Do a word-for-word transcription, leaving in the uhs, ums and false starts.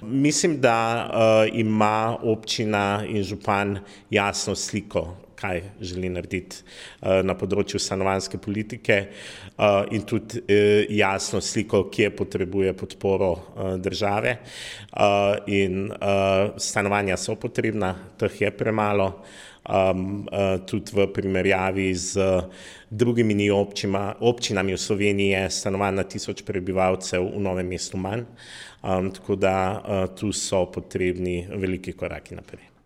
Mislim, da uh, ima občina in župan jasno sliko, kaj želi narediti uh, na področju stanovanjske politike uh, in tudi uh, jasno sliko, kje potrebuje podporo uh, države. Uh, in uh, stanovanja so potrebna, teh je premalo. Um, uh, tudi v primerjavi z drugimi občima, občinami v Sloveniji je stanovanj na tisoč prebivalcev v Novem mestu manj, um, tako da uh, tu so potrebni veliki koraki naprej.